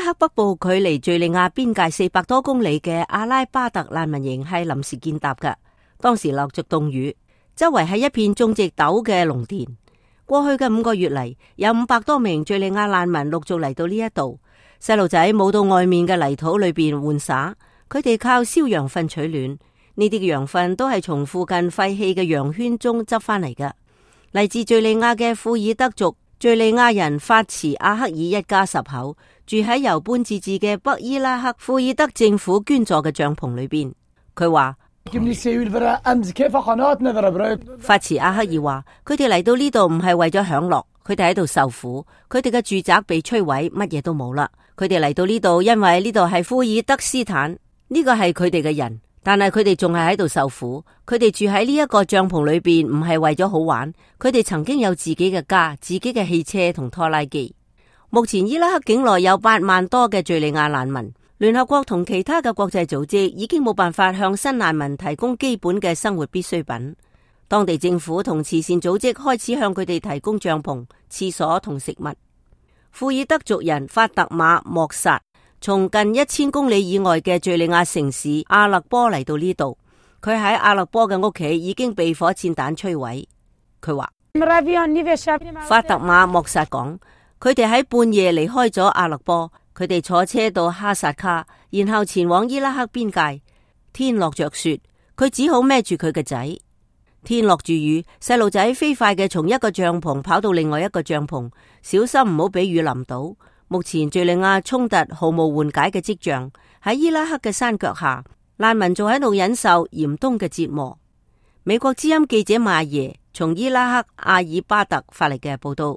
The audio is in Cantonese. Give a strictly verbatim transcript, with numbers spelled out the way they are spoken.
拉克北部距離敘利亞邊界四百多公里嘅阿拉巴特難民營係臨時建搭嘅，當時落着凍雨，周圍係一片種植豆嘅農田。過去嘅五個月嚟，有五百多名敘利亞難民陸續嚟到呢一度，細路仔冇到外面嘅泥土裏邊玩耍，佢哋靠燒羊糞取暖。呢啲嘅羊糞都係從附近廢棄嘅羊圈中執翻嚟嘅。嚟自敘利亞嘅庫爾德族敘利亞人法茨阿克爾一家十口住喺由半自治嘅北伊拉克庫爾德政府捐助嘅帳篷裏邊。佢話法茨阿克爾話，佢哋嚟到呢度唔係為咗享樂，佢哋喺度受苦，佢哋嘅住宅被摧毀，乜嘢都冇啦。佢哋嚟到呢度，因為呢度係庫爾德斯坦，呢個係佢哋嘅人，但係佢哋仲係喺度受苦。佢哋住喺呢一個帳篷裏邊，唔係為咗好玩，佢哋曾經有自己嘅家、自己嘅汽車同拖拉機。目前伊拉克境內有八萬多嘅敘利亞難民。聯合國同其他嘅國際組織已經冇辦法向新難民提供基本嘅生活必需品。當地政府同慈善組織開始向佢哋提供帳篷、廁所同食物。庫爾德族人法特馬莫薩從近一千公里以外嘅敘利亞城市阿勒波嚟到呢度，佢喺阿勒波嘅屋企已經被火箭彈摧毀。佢話法特馬莫薩講，佢哋喺半夜離開咗阿勒波。佢哋坐車到哈薩卡，然後前往伊拉克邊界。天落着雪，佢只好孭住佢嘅仔。天落住雨，細路仔飛快嘅從一個帳篷跑到另外一個帳篷，小心唔好俾雨淋到。目前敘利亞衝突毫無緩解嘅跡象，喺伊拉克嘅山腳下，難民仲喺度忍受嚴冬嘅折磨。美國之音記者馬耶從伊拉克阿爾巴特發嚟嘅報道。